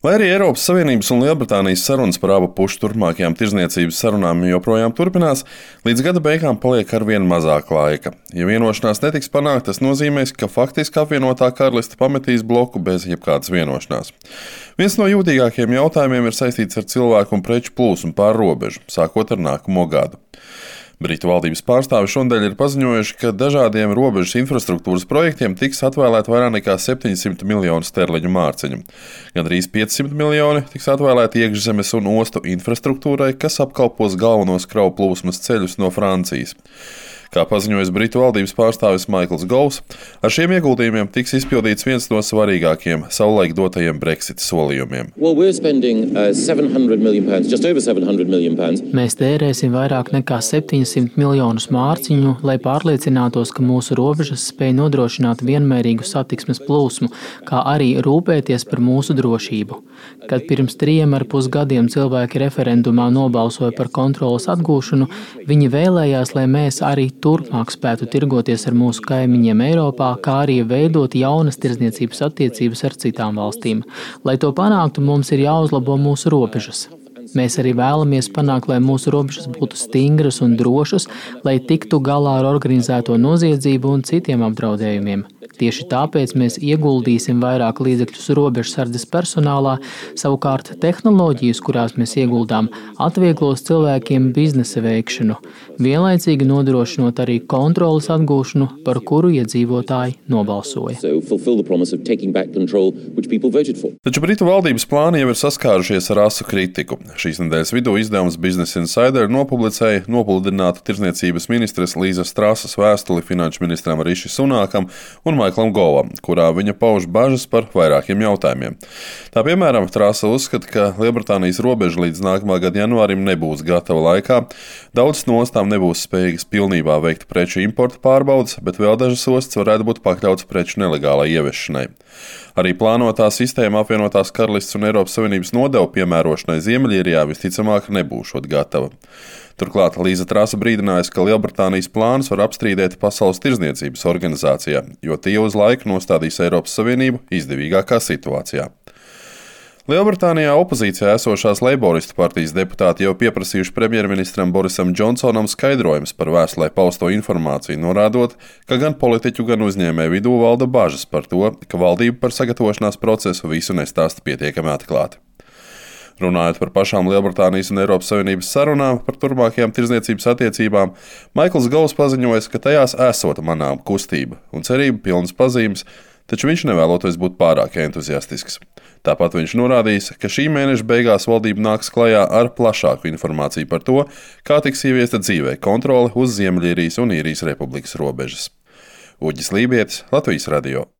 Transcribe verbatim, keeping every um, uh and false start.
Lai arī Eiropas Savienības un Lielbritānijas sarunas par abu pušu turpmākajām tirdzniecības sarunām joprojām turpinās, līdz gada beigām paliek arvien mazāk laika. Ja vienošanās netiks panākta, tas nozīmēs, ka faktiski apvienotā karaliste pametīs bloku bez jebkādas vienošanās. Viens no jūtīgākajiem jautājumiem ir saistīts ar cilvēku un preču plūsmu pār robežu, sākot ar nākamo gadu. Britu valdības pārstāvi šodien ir paziņojuši, ka dažādiem robežas infrastruktūras projektiem tiks atvēlēta vairāk nekā septiņsimt miljonu sterliņu mārciņu. Gandrīz piecsimt miljoni tiks atvēlēti iekšzemes un ostu infrastruktūrai, kas apkalpos galvenos kravu plūsmas ceļus no Francijas. Kā paziņojis Britu valdības pārstāvis Maikls Govs, ar šiem ieguldījumiem tiks izpildīts viens no svarīgākajiem savulaik dotajiem Brexit solījumiem. Well, pounds, Mēs tērēsim vairāk nekā septiņsimt miljonus mārciņu, lai pārliecinātos, ka mūsu robežas spēj nodrošināt vienmērīgu satiksmes plūsmu, kā arī rūpēties par mūsu drošību. Kad pirms trījiem ar pus gadiem cilvēki referendumā nobalsoja par kontroles atgūšanu, viņi vēlējās, lai mēs arī turpmāk spētu tirgoties ar mūsu kaimiņiem Eiropā, kā arī veidot jaunas tirdzniecības attiecības ar citām valstīm. Lai to panāktu, mums ir jāuzlabo mūsu robežas. Mēs arī vēlamies panākt, lai mūsu robežas būtu stingras un drošas, lai tiktu galā ar organizēto noziedzību un citiem apdraudējumiem. Tieši tāpēc mēs ieguldīsim vairāk līdzekļus robežsardzes personālā, savukārt tehnoloģijas, kurās mēs ieguldām, atvieglos cilvēkiem biznesa veikšanu, vienlaicīgi nodrošinot arī kontroles atgūšanu, par kuru iedzīvotāji nobalsoja. Taču Britu valdības plāni jau ir saskārušies ar asu kritiku. Šīs nedēļas vidū izdevums Business Insider nopublicēja nopludinātu tirdzniecības ministres Līzas Trasas vēstuli finanšu ministram Riši Sunākam un Maiklam Govam, kurā viņa pauž bažas par vairākiem jautājumiem. Tā piemēram, Trasa uzskata, ka Lielbritānijas robeža līdz nākamā gada janvārim nebūs gatava laikā, daudzas no ostām nebūs spējīgas pilnībā veikt preču importa pārbaudes, bet vēl dažas ostas varētu būt pakļautas preču nelegālai ieviešanai. Arī plānotā sistēma apvienotās karalistes un Eiropas Savienības nodevu piemērošanai Ziemeļīrijā visticamāk nebūšot gatava. Turklāt Līza Trasa brīdinājusi, ka Lielbritānijas plānus var apstrīdēt Pasaules tirdzniecības organizācijā, jo tie uz laiku nostādīs Eiropas Savienību izdevīgākā situācijā. Lielbritānijā opozīcijā esošās Leiboristu partijas deputāti jau pieprasījuši premjerministram Borisam Džonsonam skaidrojums par vēstulē pausto informāciju, norādot, ka gan politiķu, gan uzņēmēju vidū valda bažas par to, ka valdība par sagatavošanās procesu visu nestāsta pietiekami atklāti. Runājot par pašām Lielbritānijas un Eiropas Savienības sarunām par turpmākajām tirdzniecības attiecībām, Maikls Govs paziņoja, ka tajās esot manām kustība un cerība pilnas pazīmes, taču viņš nevēloties būt pārāk entuziastisks. Tāpat viņš norādījis, ka šī mēneša beigās valdība nāks klajā ar plašāku informāciju par to, kā tiks ieviesta dzīvē kontrole uz Ziemeļīrijas un Īrijas republikas robežas. Uģis Lībietis, Latvijas radio.